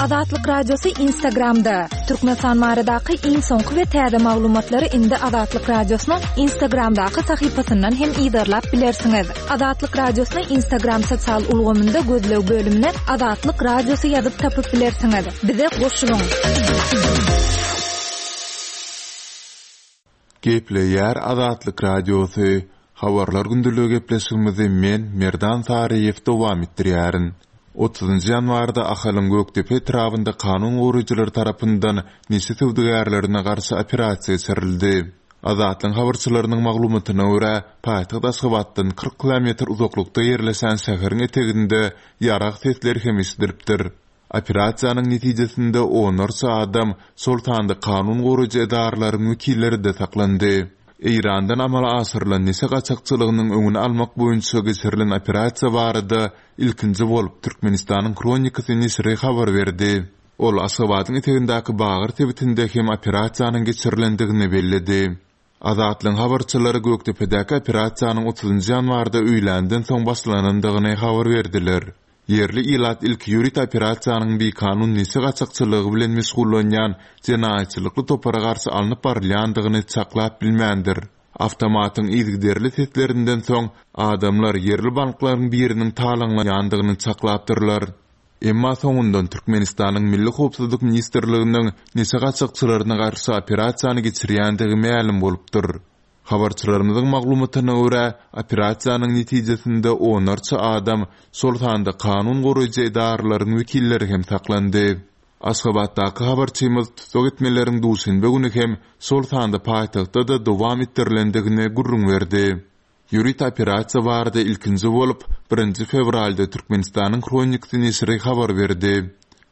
Azatlyk Radiosy Instagramda, Türkmenistan baradaky iň soňky we täze maglumatlary indi Azatlyk Radiosynyň Instagramdaky sahypasyndan hem yzarlap bilersiňiz. Azatlyk Radiosyny Instagram sosial ulgamynda gözleg bölümine Azatlyk Radiosy ýazyp tapyp bilersiňiz. Bize goşulyň! Gepleýär Azatlyk Radiosy, Habarlar gündeligi gepleşigimizi men, Merdan Saryýew dowam etdirýärin. Otuzynjy ýanwarda Ahalyň Gökdepe etrabynda kanun goraýjylar tarapyndan neşe söwdagärlerine garşy operasiýa geçirildi. Azatlygyň habarçylarynyň maglumatyna görä, paýtagt Aşgabatdan 40 kilometr uzaklykda ýerleşen şäheriň eteginde ýarag sesleri hem eşidilipdir. Operasiýanyň netijesinde onlarça adam, şol sanda kanun goraýjy edaralaryň wekilleri-de saklandy. Eýrandan amala aşyrylan neşe gaçakçylygynyň öňüni almak boýunça geçirilen operasiýa barada ilkinji bolup Türkmenistanyň Hronikasy neşiri habar berdi. Ol Aşgabadyň etegindäki Bagyr sebitinde hem operasiýanyň geçirilendigini belledi. Azatlygyň habarçylary Gökdepedäki operasiýanyň otuzynjy ýanwarda öýländen soň başlanandygyny habar berdiler. Ýerli ilat ilki ýörite operasiýanyň bikanun neşe gaçakçylygy bilen meşgullanýan jenaýatçylykly topara garşy alnyp barylýandygyny çaklap bilmändir. Awtomatyň yzygiderli seslerinden soň, adamlar ýerli banklaryň biriniň talaňlanýandygyny çaklapdyrlar. Emma soňundan Türkmenistanyň Milli howpsuzlyk ministrliginiň neşe gaçakçylaryna garşy operasiýany geçirýändigi mälim bolupdyr. Habarçylarymyzyň maglumatyna görä, operasiýanyň netijesinde onlarça adam, şol sanda kanun goraýjy edaralaryň wekilleri hem saklandy. Aşgabatdaky habarçymyz tussag etmeleriň duşenbe güni hem, şol sanda paýtagtda-da dowam etdirilendigini gürrüň berdi. Ýörite operasiýa barada ilkinji bolup, birinji fewralda Türkmenistanyň Hronikasy neşiri habar berdi.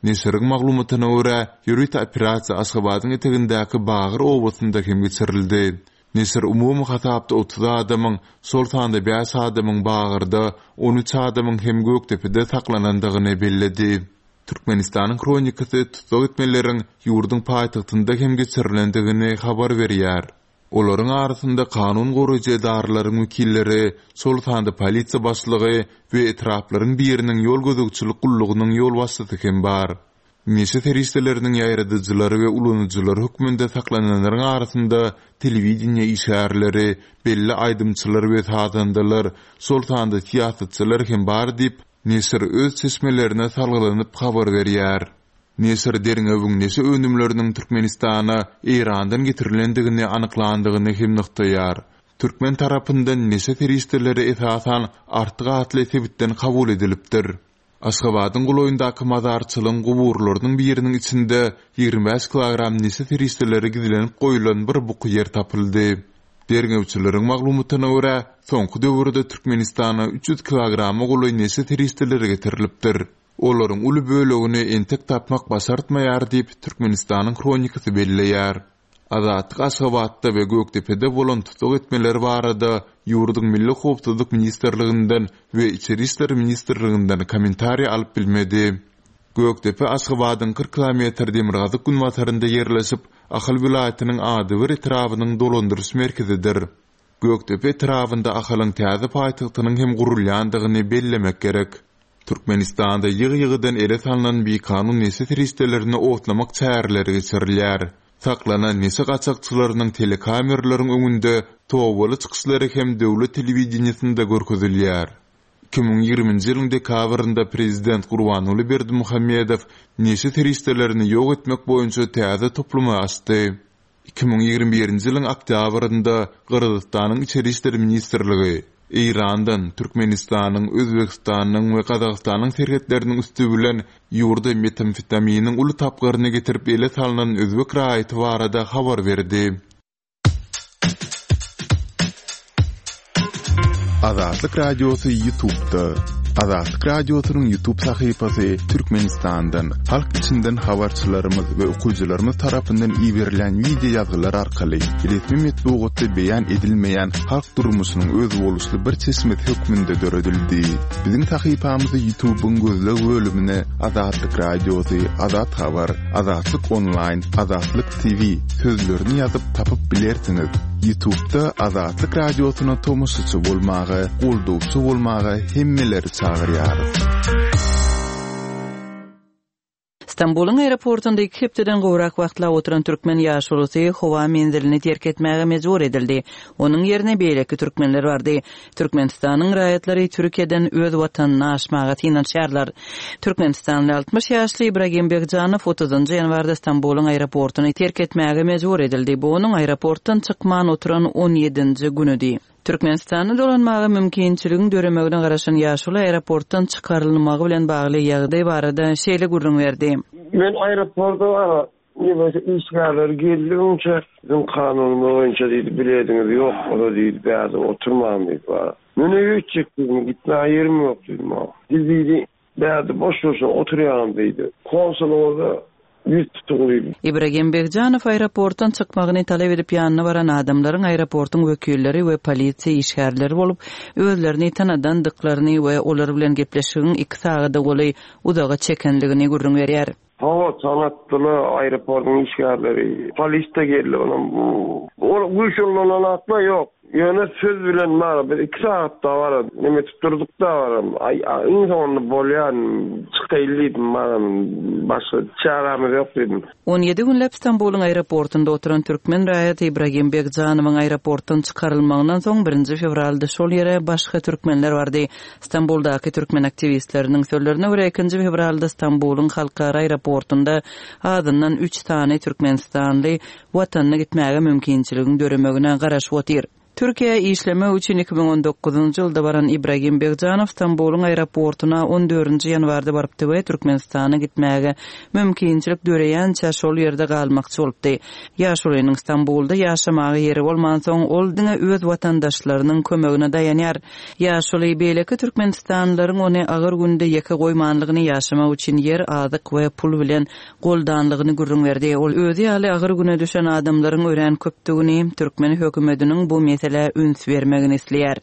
Neşiriň maglumatyna görä, ýörite operasiýa Aşgabadyň etegindäki Bagyr obasynda hem geçirildi. Neşir umumy hasapda 30 adamyň, şol sanda bäş adamyň Bagyrda, 13 adamyň hem Gökdepede saklanandygyny belledi. Türkmenistanyň Hronikasy tussag etmeleriň ýurduň paýtagtynda hem geçirilendigini habar berýär. Olaryň arasynda kanun goraýjy edaralaryň wekilleri, şol sanda polisiýa başlygy we etraplaryň biriniň ýol gözegçilik gullugynyň ýolbaşçysy hem bar. Neşe serişdeleriniň ýaýradyjylary we ulanyjylary hökmünde saklananlaryň arasynda telewideniýe işgärleri, belli aýdymçylar we sazandalar, şol sanda syýasatçylar hem bar diýip, neşir öz çeşmelerine salgylanyp habar berýär. Neşir derňewiň neşe önümleriniň Türkmenistana Eýrandan getirilendigini anyklandygyny hem nygtaýar. Türkmen tarapyndan neşe serişdeleri esasan Artyk atly sebitden kabul edilipdir. Aşgabadyň golaýyndaky mazarçylygyň guburlarynyň biriniň içinde 25 kilogram neşe serişdeleri gizlenip goýlan bir buky ýer tapyldy. Derňewçileriň maglumatyna görä, soňky döwürde Türkmenistana 300 kilograma golaý neşe serişdeleri getirilipdir. Olaryň uly bölegini entek tapmak başartmaýar diýip, Türkmenistanyň Hronikasy belleýär. Azatlyk Aşgabatda we Gökdepede bolan tussag etmeler barada ýurduň Milli howpsuzlyk ministrliginden we Içeri işler ministrliginden kommentariý alyp bilmedi. Gökdepe Aşgabadyň 40 kilometr demirgazyk-günbatarynda ýerleşip, Ahal welaýatynyň adybir etrabynyň dolandyryş merkezidir. Gökdepe etrabynda Ahalyň täze paýtagtynyň hem gurulýandygyny bellemek gerek. Türkmenistanda ýygy-ýygydan ele salnan bikanun neşe serişdelerini otlamak çäreleri geçirilýär. Saklanan neşe gaçakçylarynyň telekameralaryň öňünde tobaly çykyşlary hem döwlet telewideniýesinde görkezilýär. 2020-nji ýylyň dekabrynda prezident Gurbanguly Berdimuhamedow neşe serişdelerini ýok etmek boýunça täze toplumy açdy. 2021-nji ýylyň oktýabrynda Gyrgyzystanyň Içeri işler ministrligi Eýrandan Türkmenistanyň, Özbegistanyň we Gazagystanyň serhetleriniň üsti bilen ýurda metamfetaminiň uly tapgyryny getirip ele salnan özbek raýaty barada habar berdi. Azatlyk Radiosy YouTube'da. Azatlyk Radiosynyň YouTube sahypasy Türkmenistandan, halk içinden habarçylarymyz we okyjylarymyz tarapyndan iberilen wideo ýazgylar arkaly resmi metbugatda beýan edilmeýän halk durmuşynyň özboluşly bir çeşmesi hökmünde döredildi. Biziň sahypamyzy YouTube'yň gözleg bölümine Azatlyk Radiosy, Azat Habar, Azatlyk Onlaýn, Azatlyk TV sözlerini ýazyp tapyp bilersiňiz. Ýutubda Azatlyk Radiosyna tomaşaçy bolmaga, goldawçy bolmaga hemmeleri çagyrýarys. Stambulyň aeroportunda iki hepdeden gowrak wagtlap oturan türkmen ýaşulusy howa menzilini terk etmäge mejbur edildi. Onuň ýerine beýleki türkmenler bardy. Türkmenistanyň raýatlary Türkiýeden öz watanyna aşmaga synanyşýarlar. Türkmenistanly 60 ýaşly Ibragim Begjanow otuzynjy ýanwarda Stambulyň aeroportuny terk etmäge mejbur edildi. Bu onuň aeroportdan çykman oturan on ýedinji günüdi. Türkmenistana dolanmaga mümkinçiligiň döremegine garaşan ýaşuly aeroportdan çykarylmagy bilen bagly ýagdaý barada şeýle gürrüň berdi. Men aeroporta neme işgärler geldigiçe biziň kanunymyz boýunça diýdi bilediňiz ýok bolsa diýdi bärde oturmaň diýdi bara. Men öýe gitjek diýdim gitmäge ýerim ýok diýdim. Siz diýdi Bärde boş-boşuna oturýaňyz diýdi. Konsulyňyza ýüz tutuň diýdi. Ibragim Begjanow aeroportdan çykmagyny talap edip ýanyna baran adamlaryň aeroportuň wekilleri we polisiýa işgärleri bolup, özlerini tanadandyklaryny we olar bilen gepleşigiň iki sagada golaý uzaga çekendigini gürrüň berýär. Hawa, tanatdylar aeroportuň işgärleri. Polis-de geldi onam. Ol güýç ullananaklar ýok. Ýöne söz bilen bar, biz iki sagat dabara neme etip durduk dabara. Aý, iň soňunda bolýar, çykaýly diýdim, baram, başga çärämiz ýok diýdim. 17 günläp Stambulyň aeroportunda oturan türkmen raýaty Ibragim Begjanowyň aeroportdan çykarylmagyndan soň birinji fewralda şol ýere başga türkmenler bardy. Stambuldaky türkmen aktiwistleriniň sözlerine görä, ikinji fewralda Stambulyň halkara aeroportunda azyndan üç sany türkmenistanly Watanyna gitmäge mümkinçiligiň döremegine garaşyp otyr. Türkiýä işlemek üçin 2019-njy ýylda baran Ibragim Begjanow Stambulyň aeroportuna on dördünji ýanwarda barypdy we Türkmenistana gitmäge mümkinçilik döreýänçä şol ýerde galmakçy bolupdy. Ýaşulynyň Stambulda ýaşamaga ýeri bolmansoň, ol diňe öz watandaşlarynyň kömegine daýanýar. Ýaşuly beýleki türkmenistanlylaryň ony agyr günde ýeke goýmanlygyny, ýaşamak üçin ýer, azyk we pul bilen goldanlygyny gürrüň berdi. Ol özi ýaly agyr güne düşen adamlaryň örän köpdügini, türkmen hökümetiniň bu meselä üns bermegini isleýär.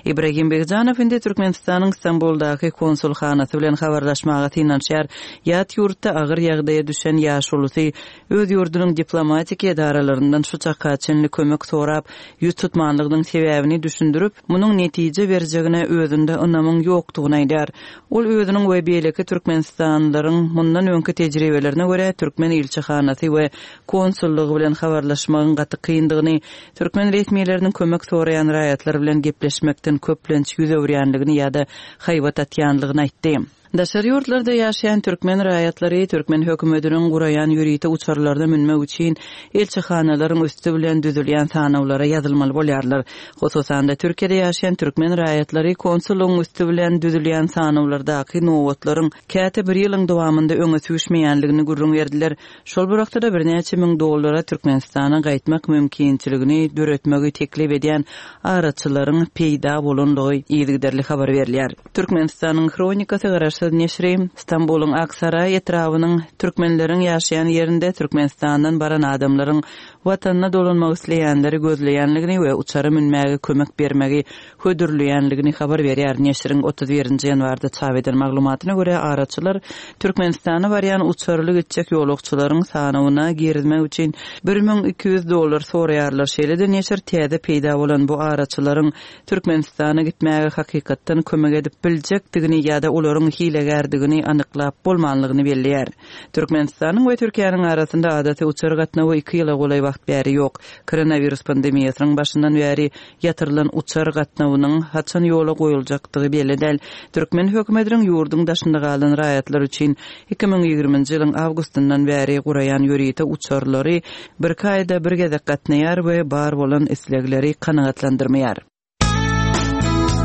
Ibragim Begjanow indi Türkmenistanyň Stambuldaky konsulhanasy bilen habarlaşmaga synanyşýar. Ýat ýurtda agyr ýagdaýa düşen ýaşulusy öz ýurdunyň diplomatik edaralaryndan şu çaka çenli kömek sorap, ýüz tutmanlygynyň sebäbini düşündirip, munuň netije berjegine özünde ynamyň ýokdugyny aýdýar. Ol özüniň we beýleki türkmenistanlylaryň mundan öňki tejribelerine görä, türkmen ilçihanasy we konsullygy bilen habarlaşmagyň gaty kyndygyny, türkmen resmileriniň kömek soraýan raýatlar bilen gepleşmekden köplenç ýüz öwürýänligini ýa-da haýbat atýanlygyny aýtdy. Daşary ýurtlarda ýaşaýan türkmen raýatlary türkmen hökümetiniň guraýan ýörite uçarlaryna münmek üçin ilçihanalaryň üsti bilen düzülýän sanawlara ýazylmaly bolýarlar. Hususan-da, Türkiýede ýaşaýan türkmen raýatlary konsullygyň üsti bilen düzülýän sanawlardaky nobatlaryň käte bir ýylyň dowamynda öňe süýşmeýändigini gürrüň berdiler. Şol bir wagtda-da birnäçe müň dollara Türkmenistana gaýtmak mümkinçiligini döretmegi teklip edýän araçylaryň peýda bolandygy yzygiderli habar berilýär. Türkmenistanyň Hronikasy garaşsyz neşiri Stambulyň Aksaraý etrabynyň türkmenleriň ýaşaýan ýerinde Türkmenistandan baran adamlaryň Watanyna dolanmak isleýänleri gözleýänligini we uçara münmäge kömek bermegi hödürleýänligini habar berýär. Neşiriň 31 nji ýanwarda çap eden maglumatyna görä, araçylar Türkmenistana barýan uçarly gitjek ýolagçylaryň sanawyna girizmek üçin 1200 dollar soraýarlar. Şeýle-de neşir täze peýda bolan bu araçylaryň Türkmenistana gitmäge hakykatdan kömek edip biljekdigini ýa-da olaryň hilegärdigini anyklap bolmanlygyny belleýär. Türkmenistanyň we Türkiýäniň arasynda adaty uçar gatnawy iki ýyla golaý wagt bäri ýok. Koronawirus pandemiýasynyň başyndan bäri ýatyrylan uçar gatnawynyň haçan ýola goýuljakdygy belli däl. Türkmen hökümetiniň ýurduň daşynda galan raýatlar üçin 2020-nji ýylyň awgustyndan bäri guraýan ýörite uçarlary birki aýda bir gezek gatnaýar we bar bolan islegleri kanagatlandyrmaýar.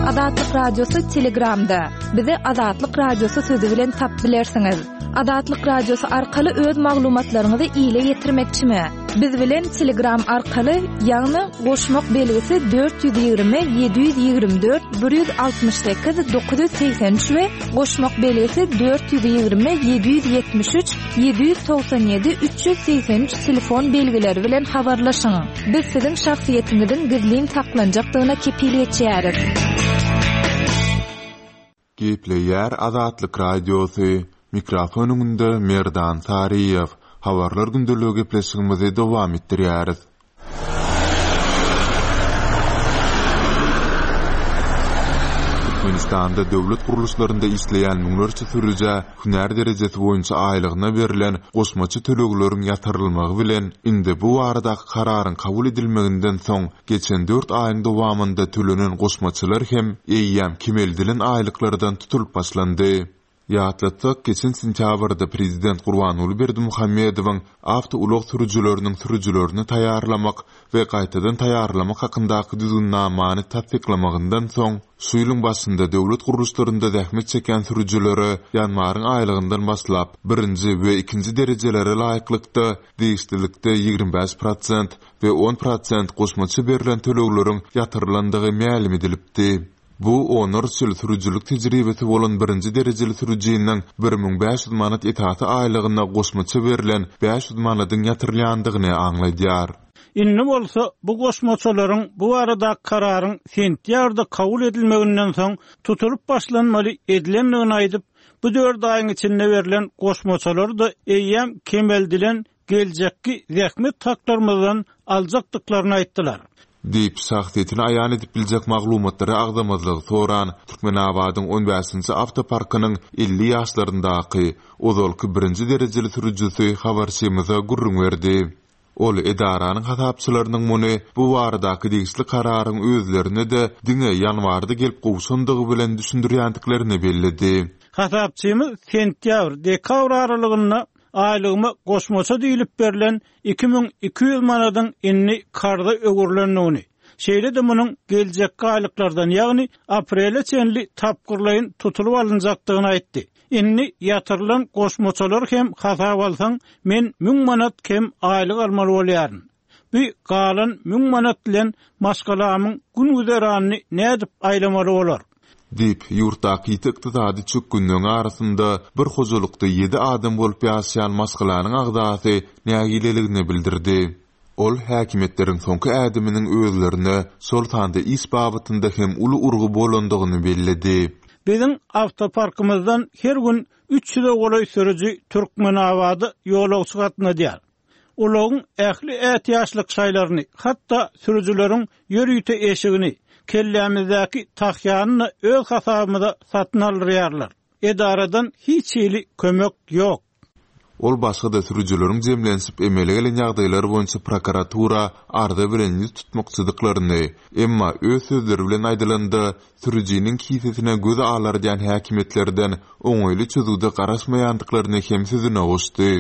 Azatlyk Radiosy Telegramda. Bizi Azatlyk Radiosy sözi bilen tap bilersiňiz. Azatlyk Radiosy arkaly öz maglumatlaryňyzy ile ýetirmekçimi? Biz bilen Telegram arkaly, ýagny goşmak belgisi 420 724 168 983 we goşmak belgisi 420 773 797 383 telefon belgileri bilen habarlaşyň. Biz siziň şahsyýetiňiziň gizlin saklanjakdygyna kepil geçýäris. Gepleýär Azatlyk Radiosy, Mikrofon öňünde Merdan Saryýew. Habarlar gündeligi gepleşigimizi dowam etdirýäris. Türkmenistanda döwlet gurluşlarynda işleýän müňlerçe sürüjä hünär derejesi boýunça aýlygyna berlen goşmaça tölegleriň ýatyrylmagy bilen, indi bu baradaky kararyň kabul edilmeginden soň geçen dört aýyň dowamynda tölenen goşmaçalar hem eýýäm kemeldilen aýlyklardan tutulyp başlandy. Ýatlatsak, geçen sentýabrda prezident Gurbanguly Berdimuhamedowyň awtoulag sürüjileriniň sürüjilerini taýýarlamak we gaýtadan taýýarlamak hakyndaky düzgünnamany tassyklamagyndan soň, şu ýylyň başynda döwlet gurluşlarynda zähmet çekýän sürüjilere ýanwaryň aýlygyndan başlap, birinji we ikinji derejelere laýyklykda degişlilikde 25 prosent we 10 prosent goşmaça berlen tölegleriň ýatyrylandygy mälim edilipdi. Bu onlarça ýyl sürüjilik tejribesi bolan birinji derejeli sürüjiniň 1500 manat esasy aýlygyna goşmaça berlen 500 manadyň ýatyrylýandygyny aňladýar. Indi bolsa bu goşmaçalaryň bu baradaky kararyň sentýabrda kabul edilmeginden soň tutulyp başlanmaly edilendigini aýdyp, bu dört aýyň içinde berlen goşmaçalary-da eýýäm kemeldilen geljekki zähmet haklarymyzdan aljakdyklaryny aýtdylar. Diýip, şahsyýetini aýan edip biljek maglumatlary agzamazlygy soran Türkmenabadyň on bäşinji awtoparkynyň 50 ýaşlaryndaky, ozalky birinji derejeli sürüjisi habarçymyza gürrüň berdi. Ol edaranyň hasapçylarynyň muny bu baradaky degişli kararyň özlerine-de diňe ýanwarda gelip gowşandygy bilen düşündirýändiklerini belledi. Hasapçymyz sentýabr, dekabr aralygynda Aýlygyma goşmaça diýlip berlen 2200 manadyň indi karza öwrülendigini, şeýle-de munuň geljekki aýlyklardan, ýagny aprele çenli tapgyrlaýyn tutulyp alynjakdygyny aýtdy. Indi ýatyrylan goşmaçalary hem hasaba alsaň, men müň manat kem aýlyk almaly bolýaryn. Bu galan müň manat bilen maşgalamyň gün-güzeranyny nädip aýlamaly bolar? Diýip, ýurtdaky ýiti ykdysady çökgünligiň arasynda bir hojalykda ýedi adam bolup ýaşaýan maşgalanyň agzasy nägileligini bildirdi. Ol häkimiýetleriň soňky ädiminiň özlerine, şol sanda iş babatynda hem uly urgy bolandygyny belledi. Biziň awtoparkymyzdan her gün üç ýüze golaý sürüji Türkmenabada ýolagçy gatnadýar. Ulagyň ähli ätiýaçlyk şaýlaryny, hatda sürüjileriň ýörite eşigini, kellämizdäki tahýany-da öz hasabymyza satyn aldyrýarlar. Edaradan hiç hili kömek ýok. Ol başga-da sürüjileriň jemlenişip emele gelen ýagdaýlar boýunça prokuratura arza bilen ýüz tutmakçydyklaryny, emma öz sözleri bilen aýdylanda, sürüjiniň kisesine göz alardýan häkimiýetlerden oňaýly çözgüde garaşmaýandyklaryny hem sözüne goşdy.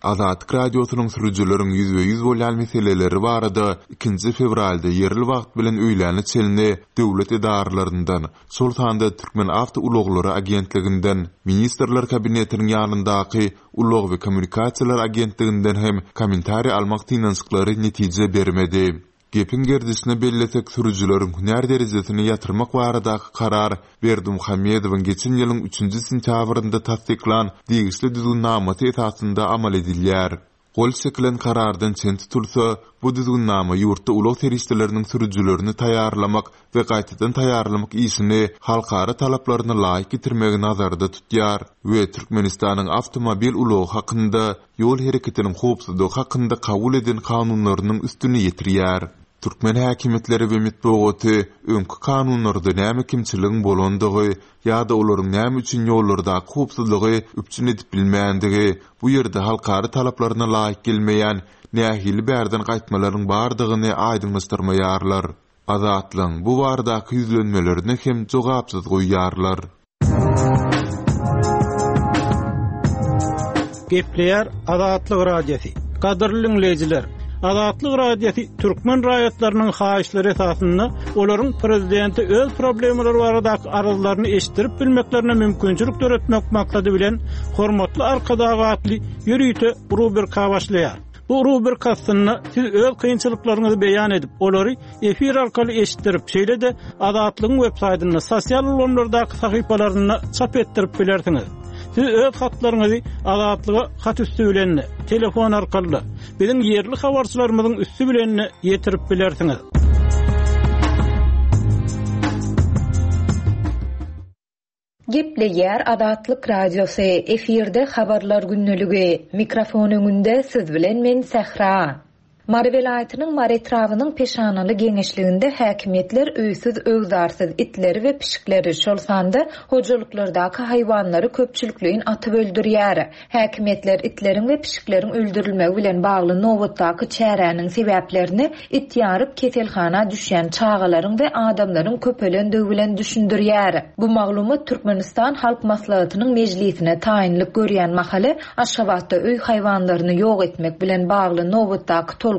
Azatlyk Radiosynyň sürüjileriň ýüzbe-ýüz bolýan meseleleri barada ikinji fewralda ýerli wagt bilen öýläne çenli döwlet edaralaryndan, şol sanda Türkmenawtoulaglary agentliginden, Ministrler Kabinetiniň ýanyndaky Ulag we kommunikasiýalar agentliginden hem kommentariý almak synanyşyklary netije bermedi. Gepiň gerdişine bellesek, sürüjileriň hünär derejesini ýatyrmak baradaky karar Berdimuhamedowyň geçen ýylyň üçünji sentýabrynda tassyklan degişli düzgünnamasy esasynda amal edilýär. Gol çekilen karardan çen tutulsa, bu düzgünnama ýurtda ulag serişdeleriniň sürüjilerini taýýarlamak we gaýtadan taýýarlamak işini halkara talaplaryna laýyk getirmegi nazarda tutýar we Türkmenistanyň Awtomobil ulagy hakynda ýol hereketiniň howpsuzlygy hakynda kabul eden kanunlarynyň üstüni ýetirýär. Türkmen häkimiýetleri we metbugaty öňki kanunlarda näme kemçiligiň bolandygy ýa-da olaryň näme üçin ýollardaky howpsuzlygy üpjün edip bilmändigi, bu ýerde halkara talaplaryna laýyk gelmeýän nähili bärden gaýtmalaryň bardygyny aýdyňlaşdyrmaýarlar. Azatlygyň bu baradaky ýüzlenmelerini hem jogapsyz goýýarlar. Gepleýär Azatlyk Radiosy. Gadyrly diňleýjiler, Azatlyk Radiosy türkmen raýatlarynyň haýyşlary esasynda olaryň prezidente öz problemalary baradaky arzlaryny eşitdirip bilmeklerine mümkinçilik döretmek maksady bilen Hormatly Arkadag atly ýörite rubrika başlaýar. Bu rubrika astynda siz öz kynçylyklaryňyzy beýan edip, olary efir arkaly eşitdirip, şeýle-de Azatlygyň web-saýtynda, sosial ulgamlardaky sahypalarynda çap etdirip bilersiňiz. Siz öz hatlaryňyzy Azatlyga hat üsti bilen-de, telefon arkaly-da, biziň ýerli habarçylarymyzyň üsti bilen-de ýetirip bilersiňiz. Gepleýär Azatlyk Radiosy, efirde Habarlar gündeligi, mikrofon öňünde siz bilen men Sähra. Mary welaýatynyň Mary etrabynyň Peşanaly geňeşliginde häkimiýetler öýsüz-öwzarsyz itleri we pişikleri, şol sanda hojalyklardaky haýwanlary köpçülikleýin atyp öldürýär. Häkimiýetler itleriň we pişikleriň öldürilmegi bilen bagly nobatdaky çäräniň sebäplerini it ýaryp keselhana düşýän çagalaryň we adamlaryň köpelendigi bilen düşündirýär. Bu maglumat Türkmenistan Halk Maslahatynyň mejlisine taýynlyk görýän mahaly Aşgabatda öý haýwanlaryny ýok etmek bilen bagly nobatdaky tolkunyň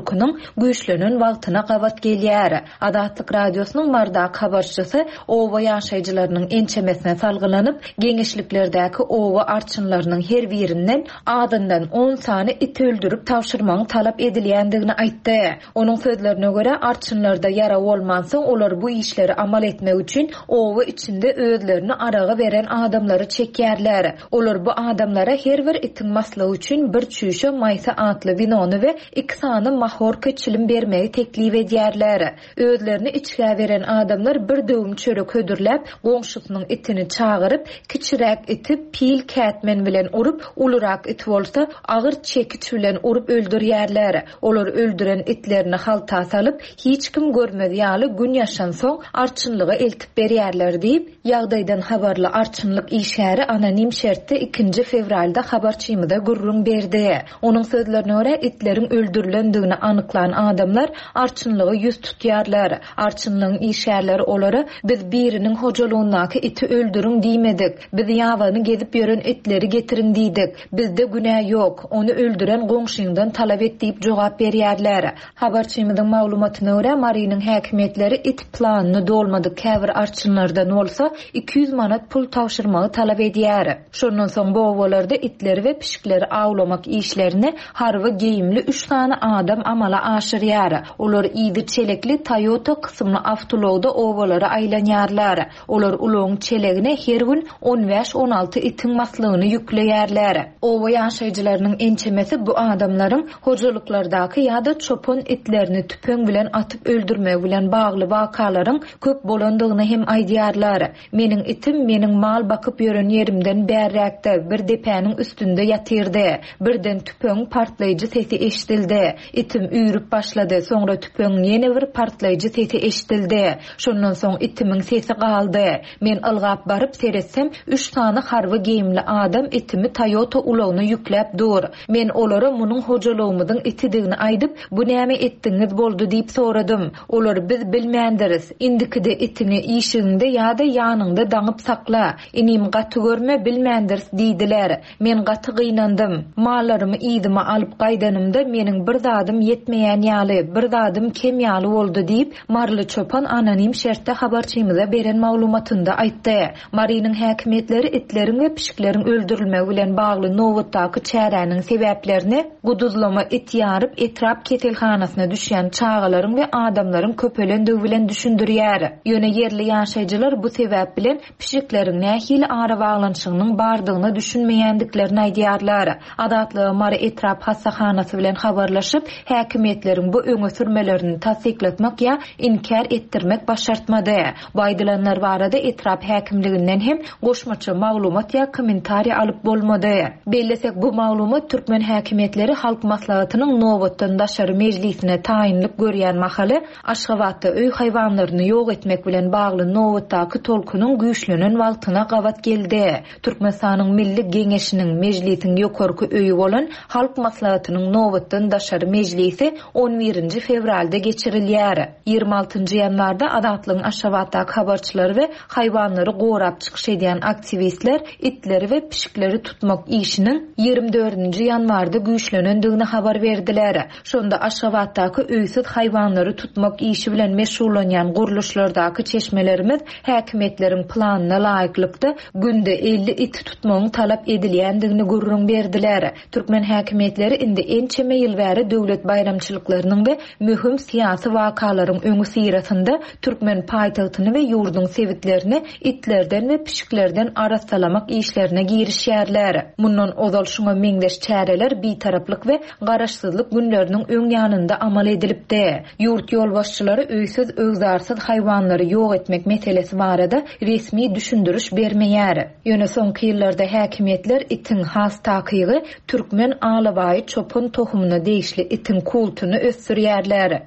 güýçlenen wagtyna gabat gelýär. Azatlyk Radiosynyň Marydaky habarçysy oba ýaşaýjylarynyň ençemesine salgylanyp, geňeşliklerdäki oba arçynlarynyň her birinden azyndan on sany it öldürip tabşyrmagyň talap edilýändigini aýtdy. Onuň sözlerine görä, arçynlarda ýarag bolmansoň, olar bu işleri amal etmek üçin oba içinde özlerini araga beren adamlary çekýärler. Olar bu adamlara her bir itiň maslygy üçin bir çüýşe Maýsa atly winony we iki sany mahorka çilim bermegi teklip edýärler. Özlerini içgä beren adamlar bir döwüm çörek hödürläp, goňşusynyň itini çagyryp, kiçiräk iti pil kätmen bilen urup, ulurak it bolsa, agyr çekiç bilen urup öldürýärler. Olar öldüren itlerini halta salyp, hiç kim görmez ýaly gün ýaşansoň, arçynlyga eltip berýärler diýip, Ýagdaýdan habarly arçynlyk işgäri anonim şertde ikinji fewralda habarçymyza gürrüň berdi. Onuň sözlerine görä, itleriň öldürilendigini anyklan adamlar arçynlyga ýüz tutýarlar. Arçynlygyň işgärleri olara, Biz biriniň hojalygyndaky iti öldüriň diýmedik. Biz ýabany gezip ýören itleri getiriň diýdik. Bizde günä ýok. Ony öldüren goňşyňdan talap et diýip jogap berýärler. Habarçymyzyň maglumatyna görä, Marynyň häkimiýetleri it planyny dolmadyk käbir arçynlardan bolsa 200 manat pul tabşyrmagy talap edýär. Şondan soň bu obalarda itleri we pişikleri awlamak işlerini harby geýimli üç sany adam amala aşyrýar. Olar yzy çelekli Toyota kysymly awtoulagda obalara aýlanýarlar. Olar ulagyň çelegine her gün on bäş-on alty itiň maslygyny ýükleýärler. Oba ýaşaýjylarynyň ençemesi bu adamlaryň hojalyklardaky ýa-da çopan itlerini tüpeň bilen atyp öldürmegi bilen bagly wakalaryň köp bolandygyny hem aýdýarlar. Meniň itim meniň mal bakyp ýören ýerimden bärräkde, bir depäniň üstünde ýatyrdy. Birden tüpeňiň partlaýjy sesi eşidildi. Itim üýrüp başlady, soňra tüpeňiň ýene bir partlaýjy sesi eşidildi. Şondan soň itimiň sesi galdy. Men ylgap baryp seretsem, üç sany harby geýimli adam itimi Toyota ulagyna ýükläp dur. Men olara munuň hojalygymyzyň itidigini aýdyp, bu näme etdigiňiz boldy diýip soradym. Olar biz bilmändiris. Indikide itiňi işigiňde ýa-da ýanyňda daňyp sakla. Inim gaty görme bilmändiris diýdiler. Men gaty gynandym. Mallarymy yzyma alyp gaýdanymda meniň bir zadym ýetmeýän ýaly, bir zadym kem ýaly boldy diýip, maryly çopan anonim şertde habarçymyza beren maglumatynda aýtdy. Marynyň häkimiýetleri itleriň we pişikleriň öldürilmegi bilen bagly nobatdaky çäräniň sebäplerini guduzlama it ýaryp etrap keselhanasyna düşýän çagalaryň we adamlaryň köpelendigi bilen düşündirýär. Ýöne ýerli ýaşaýjylar bu sebäp bilen pişikleriň nähili arabaglanyşygynyň bardygyna düşünmeýändiklerini aýdýarlar. Azatlyga Mary etrap hassahanasy bilen habarlaşyp, häkimiýetleriň bu öňe sürmelerini tassyklatmak ýa inkär etdirmek başartmady. Bu aýdylanlar barada etrap häkimliginden hem goşmaça maglumat ýa kommentariý alyp bolmady. Bellesek, bu maglumat türkmen häkimiýetleri Halk Maslahatynyň nobatdan daşary mejlisine taýynlyk görýän mahaly Aşgabatda öý haýwanlaryny ýok etmek bilen bagly nobatdaky tolkunyň güýçlenen wagtyna gabat geldi. Türkmenistanyň Milli Geňeşiniň, Mejlisiň ýokarky öýi bolan Halk Maslahatynyň nobatdan daşary mejlisi on birinji fewralda geçirilýär. 26 ýanwarda Azatlygyň Aşgabatdaky habarçylary we haýwanlary gorap çykyş edýän aktiwistler itleri we pişikleri tutmak işiniň 24 ýanwarda güýçlenendigini habar berdiler. Şonda Aşgabatdaky öýsüz haýwanlary tutmak işi bilen meşgullanýan gurluşlardaky çeşmelerimiz häkimiýetleriň planyna laýyklykda günde 50 iti tutmagyň talap edilýändigini gürrüň berdiler. Türkmen häkimiýetleri indi ençeme ýyl bäri döwlet baýramçylyklarynyň we möhüm syýasy wakalaryň öňüsyrasynda türkmen paýtagtyny we ýurduň sebitlerini itlerden we pişiklerden arassalamak işlerine girişýärler. Mundan ozal şuňa meňzeş çäreler Bitaraplyk we Garaşsyzlyk günleriniň öň ýanynda amal edilipdi. Ýurt ýolbaşçylary öýsüz-öwzarsyz haýwanlary ýok etmek meselesi barada resmi düşündiriş bermeýär. Ýöne soňky ýyllarda häkimiýetler itiň, has takygy, türkmen alabaýy çopan tohumyna degişli itiň. Putiniň kultuny ösdürýärler.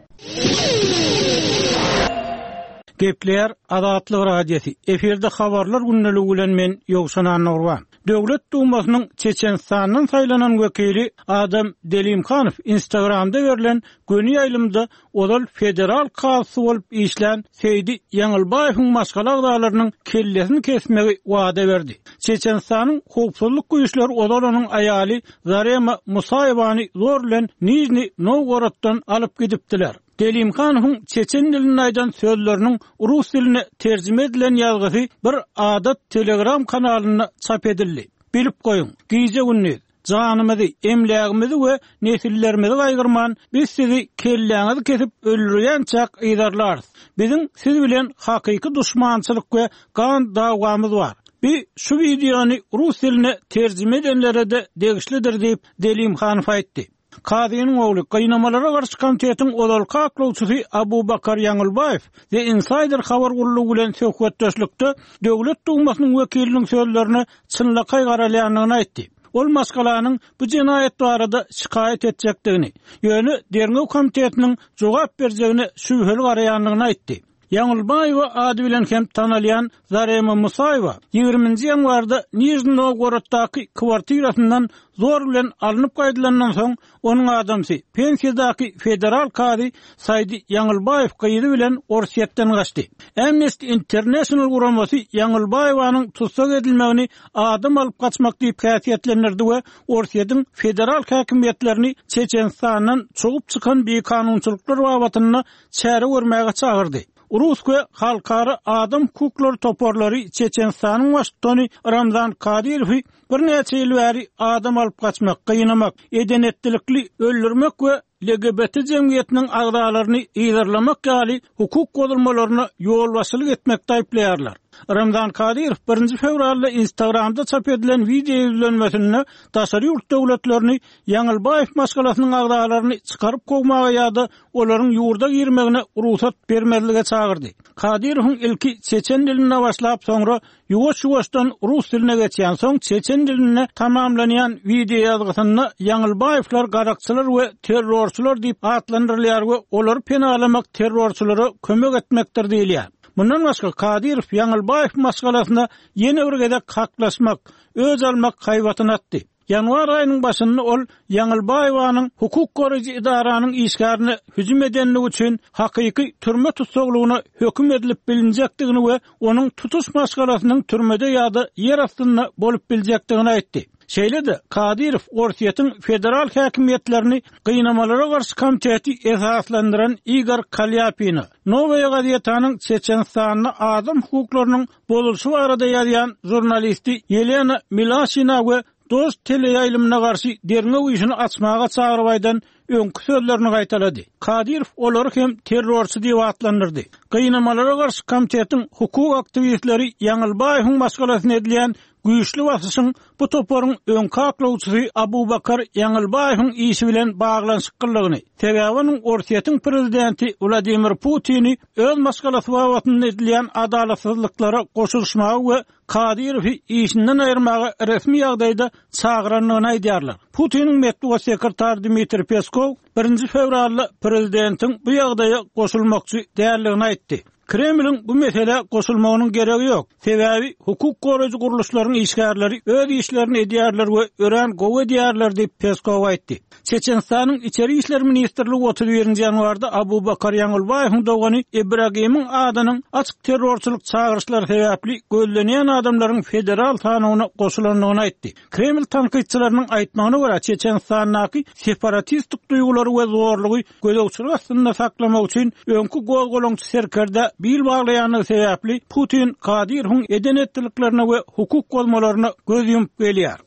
Gepleýär Azatlyk Radiosy, efirde Habarlar gündeligi bilen men Ýowşan Annagurban. Döwlet Dumasynyň Çeçenistandan saýlanan wekili Adam Delimhanow Instagramda berlen göni ýaýlymda ozal federal kazysy bolup işlän Seýdi Ýaňylbaýewiň maşgala agzalarynyň kellesini kesmegi wada berdi. Çeçenistanyň howpsuzlyk güýçleri ozal onuň aýaly Zarema Musaýewany zor bilen Nižniý Nowgoroddan alyp gidipdiler. Delimhanowyň çeçen dilinde aýdan sözleriniň rus diline terjime edilen ýazgysy bir adat Telegram kanalynda çap edildi. Bilip goýuň, gije-gündiz, Janymyzy, emlägimizi we nesillerimizi gaýgyrman, biz sizi kelläňizi kesip öldürýänçäk yzarlarys. Biziň siz bilen hakyky duşmançylyk we gan dawamyz bar. Bi şu wideony rus diline terjime edenlere-de degişlidir diýip, Delimhanow aýtdy. Kazynyň ogly, Gynamalara garşy komitetiň ozalky aklawçysy Abubakar Ýaňylbaýew The Insider habar gullugy bilen söhbetdeşlikde Döwlet Dumasynyň wekiliniň sözlerine çynlakaý garalýandygyny aýtdy. Ol maşgalanyň bu jenaýat barada şikaýat etjekdigini, ýöne Derňew komitetiniň jogap berjegine şübheli garaýandygyny aýtdy. Ýaňylbaýewa ady bilen hem tanalýan Zarema Musaýewa ýigriminji ýanwarda Nižniý Nowgoroddaky kwartirasyndan zor bilen alnyp gaýdylandan soň, onuň adamsy, pensiýadaky federal kazy Saýdi Ýaňylbaýew gyzy bilen Orsýetden gaçdy. Amnesty International guramasy Ýaňylbaýewanyň tussag edilmegini adam alyp gaçmak diýip häsiýetlendirdi we Orsýetiň federal häkimiýetlerini Çeçenistandan çogup çykan bikanunçylyklar babatynda çäre görmäge çagyrdy. Rus we halkara adam hukuklary toparlary Çeçenistanyň baştutany Ramzan Kadyrowy birnäçe ýyl bäri adam alyp gaçmak, gynamak, eden-etdilikli öldürmek we LGBT jemgyýetiniň agzalaryny yzarlamak ýaly hukuk bozulmalaryna ýolbaşçylyk etmekde aýyplaýarlar. Ramzan Kadyrow birinji fewralda Instagramda çap edilen wideo ýüzlenmesinde daşary ýurt döwletlerini Ýaňylbaýew maşgalasynyň agzalaryny çykaryp kowmaga ýa-da olaryň ýurda girmegine rugsat bermezlige çagyrdy. Kadyrowyň ilki çeçen dilinde başlap, soňra ýuwaş-ýuwaşdan rus diline geçýän, soň çeçen dilinde tamamlanýan wideoýazgysynda Ýaňylbaýewler garakçylar we terrorçylar diýip atlandyrylýar we olary penalamak terrorçylara kömek etmekdir diýilýär. Mundan başga, Kadyrow Ýaňylbaýew maşgalasyna ýene bir gezek haklaşmak, öç almak haýbatyny atdy. Ýanwar aýynyň başynda ol Ýaňylbaýewanyň hukuk goraýjy edaranyň işgärine hüjüm edenligi üçin hakyky türme tussaglygyna höküm edilip bilinjekdigini we onuň tutuş maşgalasynyň türmede ýa-da ýer astynda bolup biljekdigini aýtdy. Şeýle-de, Kadyrow Orsýetiň federal häkimiýetlerini Gynamalara garşy komiteti esaslandyran Igor Kalýapine, Nowaýa gazetanyň Çeçenistanda adam hukuklarynyň bozulyşy barada ýazýan žurnalisti Ýelena Milaşina we Dožd teleýaýlymyna garşy derňew işini açmaga çagyryp aýdan öňki sözlerini gaýtalady. Kadyrow olary hem terrorçy diýip atlandyrdy. Gynamalara garşy komitetiň hukuk aktiwistleri Ýaňylbaýewiň maşgalasyna edilýän Güýçli basyşyň bu toparyň öňki aklawçysy Abubakar Ýaňylbaýewiň işi bilen baglanyşyklydygyny, sebäbi onuň Orsýetiň prezidenti Wladimir Putini öz maşgalasy babatynda edilýän adalatsyzlyklara goşulyşmaga we Kadyrowy işinden aýyrmaga resmi ýagdaýda çagyrandygyny aýdýarlar. Putiniň metbugat sekretary Dmitriý Peskow birinji fewralda prezidentiň bu ýagdaýa goşulmakçy däldigini aýtdy. Kremliň bu meselä goşulmagynyň geregi ýok. Sebäbi hukuk goraýjy gurluşlaryň işgärleri öz işlerini edýärler we örän gowy edýärler diýip, Peskow aýtdy. Çeçenistanyň Içeri işler ministrligi 31-nji ýanwarda Abubakar Ýaňylbaýewiň dogany Ibragimiň adynyň açyk terrorçylyk çagyryşlary sebäpli gözlenýän adamlaryň federal sanawyna goşulandygyny aýtdy. Kreml tankytçylarynyň aýtmagyna görä, Çeçenistandaky separatistik duýgulary we zorlugy gözegçilik astynda saklamak üçin öňki gozgalaňçy serkerdä bil baglaýandygy sebäpli Putin Kadyrowyň eden-etdiliklerine we hukuk bozmalaryna göz ýumup gelýär.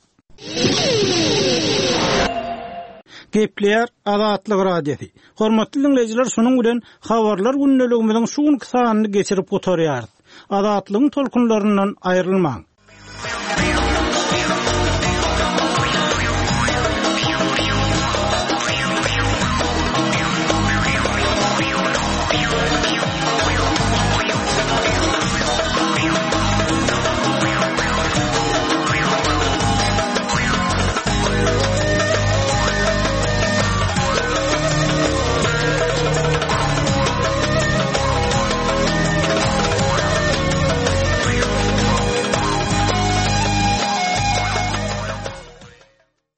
Gepleýär Azatlyk Radiosy. Hormatly diňleýjiler şunuň bilen Habarlar gündeligimiziň şu günki sanyny geçirip gutarýarys. Azatlygyň tolkunlaryndan aýrylmaň!